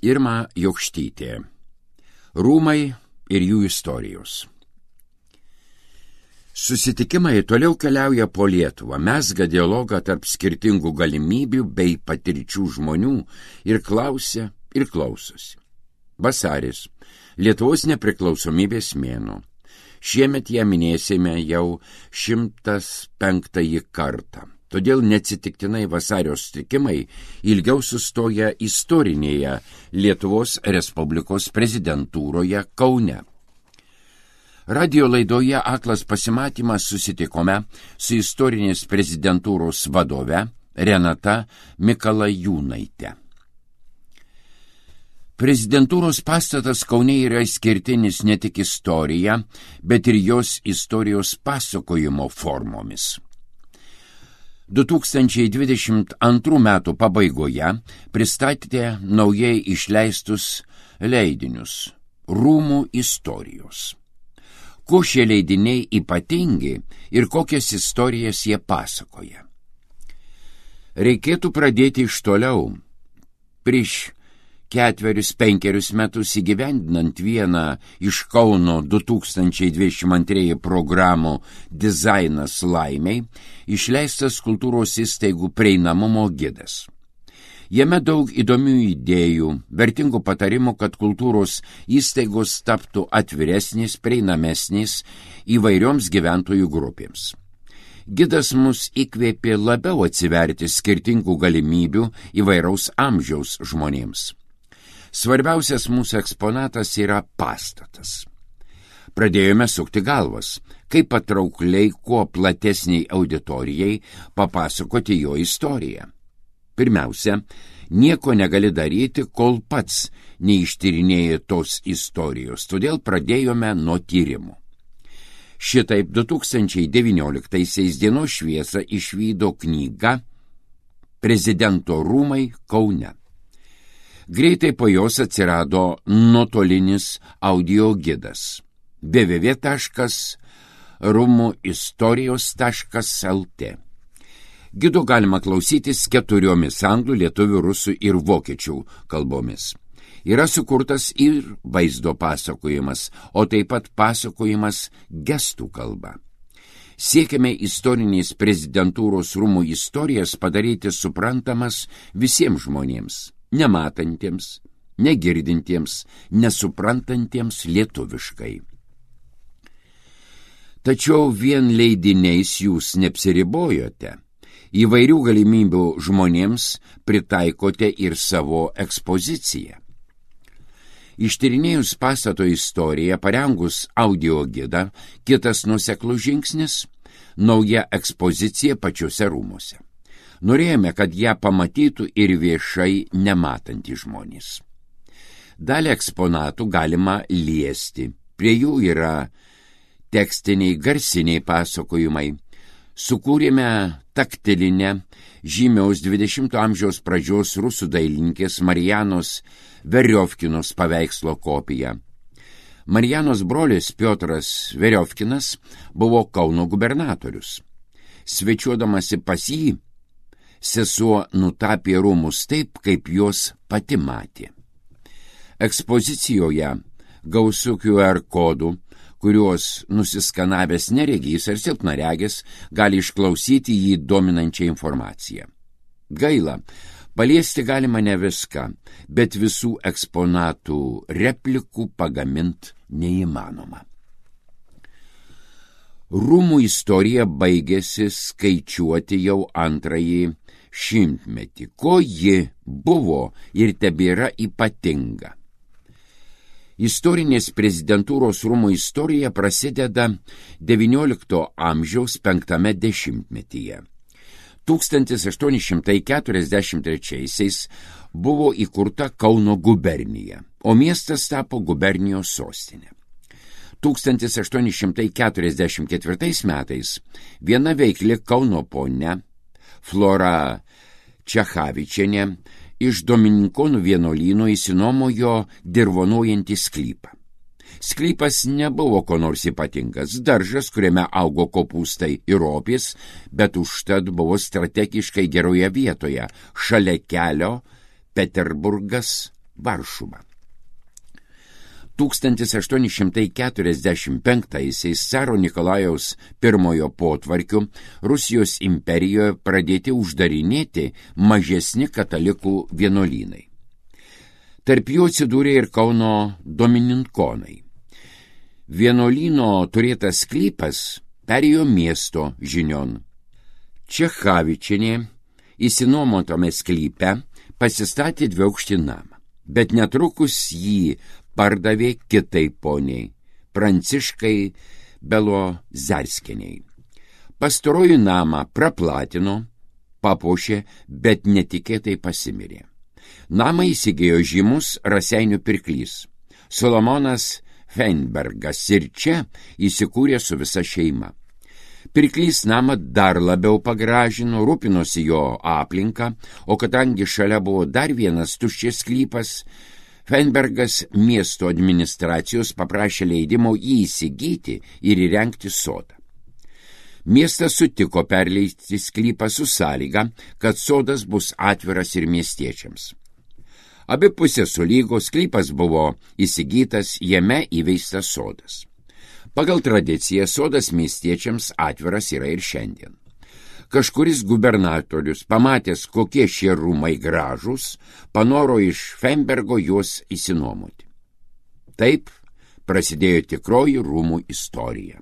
Irma Jokštytė. Rūmai ir jų istorijos. Susitikimai toliau keliauja po Lietuvą, mezga dialogą tarp skirtingų galimybių bei patirčių žmonių ir klausia ir klausosi. Vasaris – Lietuvos nepriklausomybės mėnuo. Šiemet ją minėsime jau 105 kartą. Todėl neatsitiktinai vasario susitikimai ilgiau sustoja istorinėje Lietuvos Respublikos prezidentūroje Kaune. Radio laidoje Aklas pasimatymas susitikome su istorinės prezidentūros vadove Renata Mikalajūnaite. Prezidentūros pastatas Kaune yra išskirtinis ne tik istorija, bet ir jos istorijos pasakojimo formomis. 2022 metų pabaigoje pristatėte naujai išleistus leidinius Rūmų istorijos. Kuo šie leidiniai ypatingi ir kokias istorijas jie pasakoja? Reikėtų pradėti iš toliau. Prieš 4-5 metus įgyvendinant vieną iš Kauno 2022 programų Dizainas laimei, išleistas kultūros įstaigų prieinamumo gidas. Jame daug įdomių idėjų, vertingų patarimų, kad kultūros įstaigos taptų atviresnės, prieinamesnės įvairioms gyventojų grupėms. Gidas mus įkvėpė labiau atsiverti skirtingų galimybių įvairaus amžiaus žmonėms. Svarbiausias mūsų eksponatas yra pastatas. Pradėjome sukti galvas, kaip patraukliai kuo platesniai auditorijai papasakoti jo istoriją. Pirmiausia, nieko negali daryti, kol pats neištyrinėji tos istorijos, todėl pradėjome nuo tyrimų. Šitaip 2019 dienos šviesą išvydo knyga Prezidento rūmai Kaune. Greitai po jos atsirado nuotolinis audio gidas www.rumuistorijos.lt. Gido galima klausytis 4 anglų, lietuvių, rusų ir vokiečių kalbomis. Yra sukurtas ir vaizdo pasakojimas, o taip pat pasakojimas gestų kalba. Siekiame istorinės prezidentūros rūmų istorijas padaryti suprantamas visiems žmonėms, nematantiems, negirdintiems, nesuprantantiems lietuviškai. Tačiau vien leidiniais jūs neapsiribojote. Įvairių galimybių žmonėms pritaikote ir savo ekspoziciją. Ištyrinėjus pastato istoriją, parengus audio gidą, kitas nuoseklus žingsnis – nauja ekspozicija pačiuose rūmuose. Norėjome, kad ją pamatytų ir viešai nematantys žmonės. Dalį eksponatų galima liesti. Prie jų yra tekstiniai, garsiniai pasakojimai. Sukūrėme taktilinę žymiaus 20 amžiaus pradžios rusų dailininkės Marijanos Veriovkinos paveikslo kopiją. Marijanos brolis Piotras Veriovkinas buvo Kauno gubernatorius. Svečiuodamasi pas jį, sesuo nutapė rūmus taip, kaip jos pati matė. Ekspozicijoje gausu QR kodų, kuriuos nusiskanavęs neregys ar silpnaregis gali išklausyti jį dominančią informaciją. Gaila, paliesti galima ne viską, bet visų eksponatų replikų pagamint neįmanoma. Rūmų istorija baigėsi skaičiuoti jau 2 šimtmetį, ko ji buvo ir tebėra ypatinga. Istorinės prezidentūros rūmų istorija prasideda XIX amžiaus 5 dešimtmetyje. 1843 buvo įkurta Kauno gubernija, o miestas tapo gubernijos sostinė. 1844 metais viena veikli Kauno ponia Flora Čechavičienė iš Domininkonų vienuolyno įsinomojo dirvonuojantį sklypą. Sklypas nebuvo ko nors ypatingas, daržas, kuriame augo kopūstai ir ropės, bet užtat buvo strategiškai geroje vietoje, šalia kelio Peterburgas Varšuva. 1845-aisiais caro Nikolajaus I potvarkiu Rusijos imperijoje pradėti uždarinėti mažesni katalikų vienuolynai. Tarp jų atsidūrė ir Kauno domininkonai. Vienuolyno turėtas sklypas perėjo miesto žinion. Čechavičienė įsinuomotame sklype pasistatė dviaukštį namą, bet netrukus jį pardavė kitai poniai, Pranciškai Belozerskieniai. Pastaroji namą praplatino, papuošė, bet netikėtai pasimirė. Namą įsigijo žymus Raseinių pirklys Solomonas Feinbergas ir čia įsikūrė su visa šeima. Pirklys namą dar labiau pagražino, rūpinosi jo aplinką, o kadangi šalia buvo dar vienas tuščias sklypas, Feinbergas miesto administracijos paprašė leidimo jį įsigyti ir įrengti sodą. Miestas sutiko perleisti sklypą su sąlyga, kad sodas bus atviras ir miestiečiams. Abi pusės sulygos, sklypas buvo įsigytas, jame įveistas sodas. Pagal tradiciją sodas miestiečiams atviras yra ir šiandien. Kažkuris gubernatorius, pamatęs, kokie šie rūmai gražūs, panoro iš Feinbergo juos įsinuomoti. Taip prasidėjo tikroji rūmų istorija.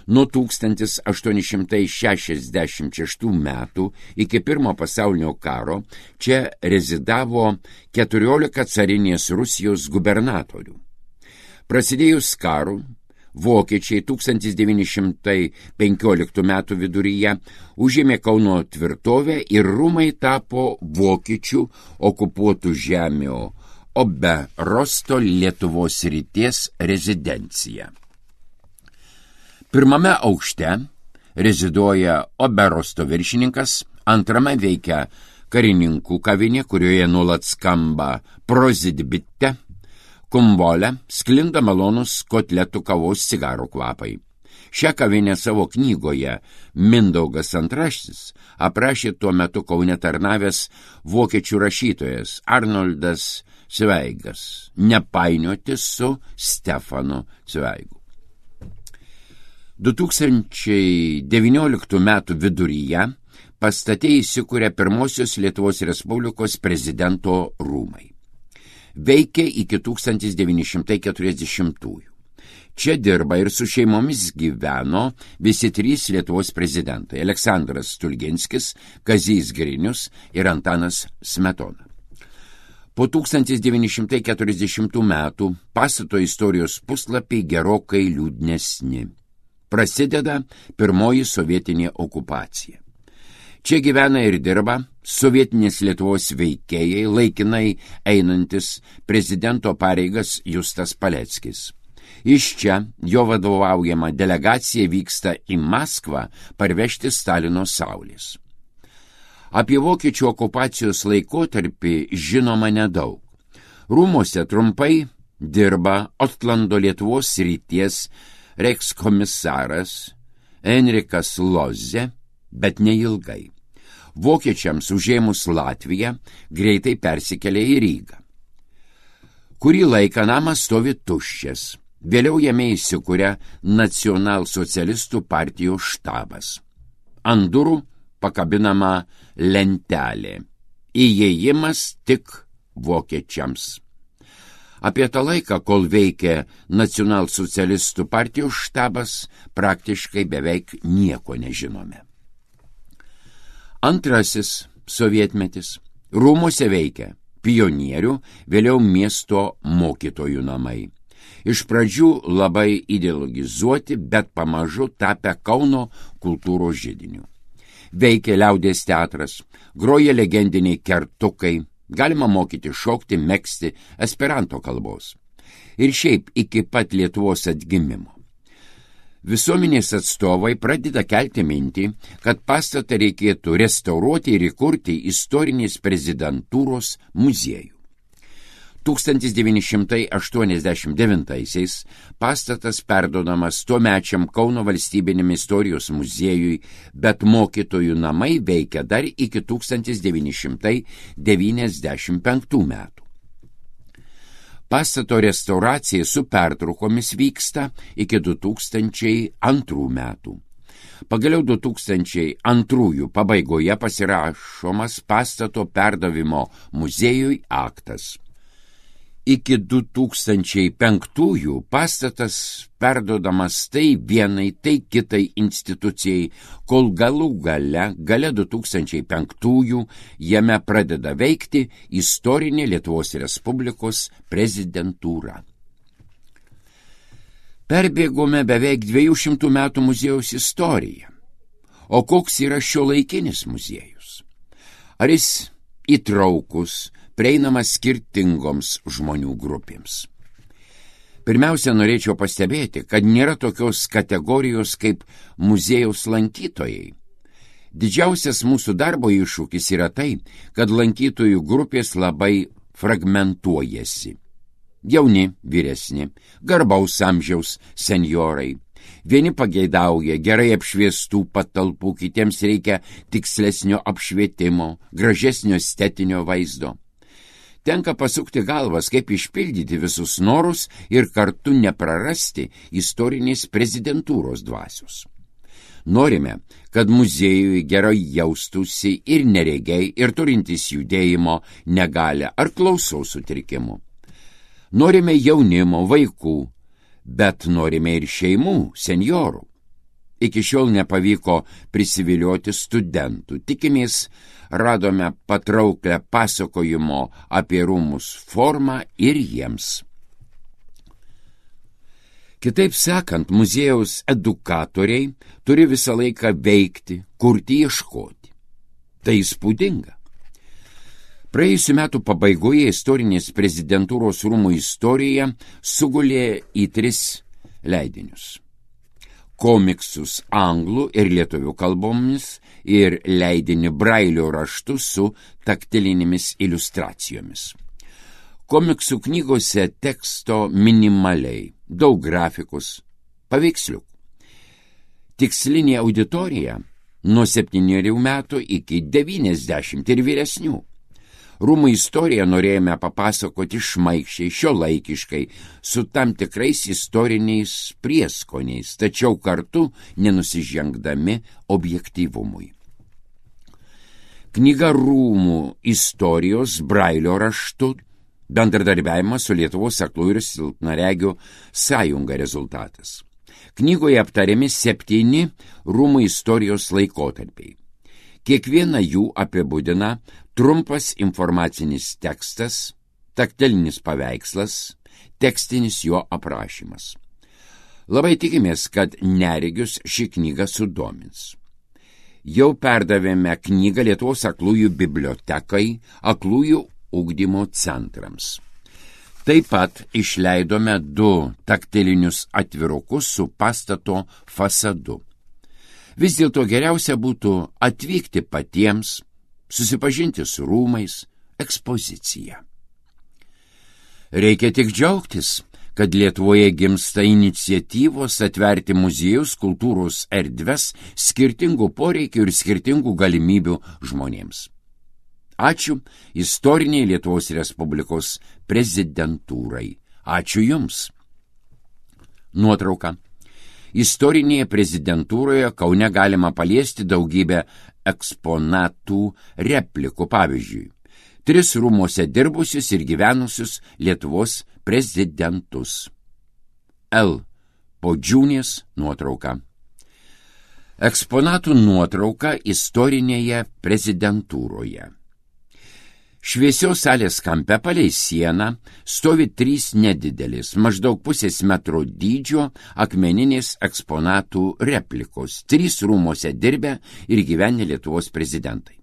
Nuo 1866 metų iki Pirmo pasaulinio karo čia rezidavo 14 carinės Rusijos gubernatorių. Prasidėjus karui, vokiečiai 1915 metų viduryje užėmė Kauno tvirtovę ir rūmai tapo vokiečių okupuotų žemių Oberosto Lietuvos ryties rezidencija. Pirmame aukšte reziduoja Oberosto viršininkas, antrame veikia karininkų kavinė, kurioje nuolat skamba prozidbitte, kumbolė, sklinda malonus kotletų, kavos, cigarų kvapai. Šią kavinę savo knygoje Mindaugas Antraštis aprašė tuo metu Kaune tarnavęs vokiečių rašytojas Arnoldas Cveigas, nepainioti su Stefanu Cveigu. 2019 metų viduryje pastate įsikūrė pirmosios Lietuvos Respublikos prezidento rūmai. Veikė iki 1940-ųjų. Čia dirba ir su šeimomis gyveno visi trys Lietuvos prezidentai – Aleksandras Stulginskis, Kazys Grinius ir Antanas Smetona. Po 1940 metų pastato istorijos puslapiai gerokai liūdnesni. Prasideda pirmoji sovietinė okupacija. Čia gyvena ir dirba sovietinės Lietuvos veikėjai, laikinai einantis prezidento pareigas Justas Paleckis. Iš čia jo vadovaujama delegacija vyksta į Maskvą parvežti Stalino saulės. Apie vokiečių okupacijos laikotarpį žinoma nedaug. Rūmuose trumpai dirba Otlando Lietuvos ryties reichskomisaras Enrikas Lozė, bet neilgai. Vokiečiams užėmus Latviją greitai persikėlė į Rygą. Kurį laiką namas stovi tuščias, vėliau jame įsikūrė nacionalsocialistų partijos štabas. Ant durų pakabinama lentelė. Įėjimas tik vokiečiams. Apie tą laiką, kol veikė nacionalsocialistų partijos štabas, praktiškai beveik nieko nežinome. Antrasis sovietmetis. Rūmuose veikia pionierių, vėliau miesto mokytojų namai. Iš pradžių labai ideologizuoti, bet pamažu tapę Kauno kultūros židiniu. Veikia liaudies teatras, groja legendiniai kertukai, galima mokyti šokti, megzti esperanto kalbos. Ir šiaip iki pat Lietuvos atgimimo. Visuomenės atstovai pradeda kelti mintį, kad pastatą reikėtų restauruoti ir įkurti istorinės prezidentūros muziejų. 1989 pastatas perduodamas tuomečiam Kauno valstybiniam istorijos muziejui, bet mokytojų namai veikia dar iki 1995 metų. Pastato restauracija su pertraukomis vyksta iki 2002 metų. Pagaliau 2002 pabaigoje pasirašomas pastato perdavimo muziejui aktas. Iki 2005 pastatas perduodamas tai vienai, tai kitai institucijai, kol galų gale 2005 jame pradeda veikti istorinė Lietuvos Respublikos prezidentūra. Perbėgome beveik 200 metų muziejaus istoriją. O koks yra šiuolaikinis muziejus? Ar jis įtraukus, prieinamas skirtingoms žmonių grupėms? Pirmiausia, norėčiau pastebėti, kad nėra tokios kategorijos kaip muziejaus lankytojai. Didžiausias mūsų darbo iššūkis yra tai, kad lankytojų grupės labai fragmentuojasi. Jauni, vyresni, garbaus amžiaus senjorai. Vieni pageidauja gerai apšviestų patalpų, kitiems reikia tikslesnio apšvietimo, gražesnio estetinio vaizdo. Tenka pasukti galvas, kaip išpildyti visus norus ir kartu neprarasti istorinės prezidentūros dvasios. Norime, kad muziejui gerai jaustųsi ir neregiai, ir turintys judėjimo negalią ar klausos sutrikimų. Norime jaunimo, vaikų, bet norime ir šeimų, senjorų. Iki šiol nepavyko prisivilioti studentų. Tikimės, radome patrauklę pasakojimo apie rūmus formą ir jiems. Kitaip sakant, muziejaus edukatoriai turi visą laiką veikti, kurti, ieškoti. Tai įspūdinga. Praėjusių metų pabaigoje istorinės prezidentūros rūmų istorija sugulė į 3 leidinius. Komiksus anglų ir lietuvių kalbomis ir leidinį brailio raštu su taktilinėmis iliustracijomis. Komiksų knygose teksto minimaliai, daug grafikos, paveiksliukų. Tikslinė auditorija nuo 7 metų iki 90 ir vyresnių. Rūmų istoriją norėjome papasakoti šmaikščiai, šiuolaikiškai, su tam tikrais istoriniais prieskoniais, tačiau kartu nenusižengdami objektyvumui. Knyga Rūmų istorijos brailio raštu, bendradarbiavimas su Lietuvos aklųjų ir silpnaregių sąjunga rezultatas. Knygoje aptariami 7 rūmų istorijos laikotarpiai. Kiekvieną jų apibūdina trumpas informacinis tekstas, taktilinis paveikslas, tekstinis jo aprašymas. Labai tikimės, kad neregius ši knyga sudomins. Jau perdavėme knygą Lietuvos aklųjų bibliotekai, aklųjų ugdymo centrams. Taip pat išleidome 2 taktilinius atvirukus su pastato fasadu. Vis dėlto geriausia būtų atvykti patiems, susipažinti su rūmais, ekspozicija. Reikia tik džiaugtis, kad Lietuvoje gimsta iniciatyvos atverti muziejus, kultūros erdves skirtingų poreikių ir skirtingų galimybių žmonėms. Ačiū istoriniai Lietuvos Respublikos prezidentūrai. Ačiū Jums. Nuotrauka. Istorinėje prezidentūroje Kaune galima paliesti daugybę eksponatų replikų, pavyzdžiui, 3 rūmuose dirbusius ir gyvenusius Lietuvos prezidentus. L. Podžiūnės nuotrauka. Eksponatų nuotrauka istorinėje prezidentūroje. Šviesios salės kampe palei sieną stovi 3 nedidelis, maždaug 0,5 metro dydžio akmeninės eksponatų replikos, 3 rūmuose dirbę ir gyvenę Lietuvos prezidentai.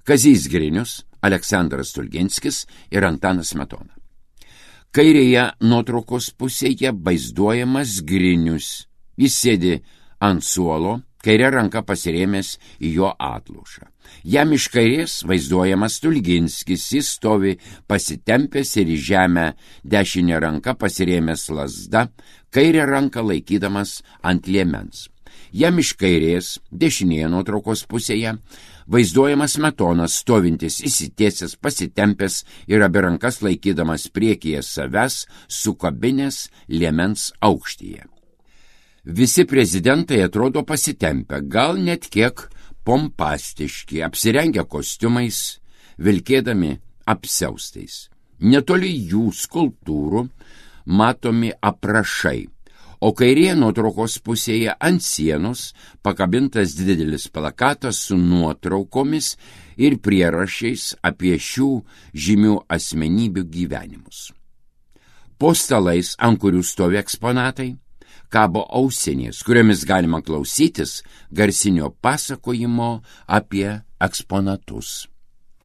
Kazys Grinius, Aleksandras Stulginskis ir Antanas Smetona. Kairėje nuotraukos pusėje vaizduojamas Grinius. Jis sėdi ant suolo, kairė ranka pasirėmęs į jo atlošą. Jam iš kairės vaizduojamas Stulginskis, jis stovi pasitempęs ir į žemę, dešinė ranka pasirėmęs lazda, kairė ranka laikydamas ant liemens. Jam iš kairės, dešinėje nuotraukos pusėje, Vaizduojamas Smetonas, stovintis įsitiesęs, pasitempęs ir abi rankas laikydamas priekyje savęs, sukabinės liemens aukštyje. Visi prezidentai atrodo pasitempę, gal net kiek pompastiški, apsirengę kostiumais, vilkėdami apsiaustais. Netoli jų skulptūrų matomi aprašai, o kairėje nuotraukos pusėje ant sienos pakabintas didelis plakatas su nuotraukomis ir prierašais apie šių žymių asmenybių gyvenimus. Po stalais, ant kurių stovi eksponatai, kabo ausinės, kuriomis galima klausytis garsinio pasakojimo apie eksponatus.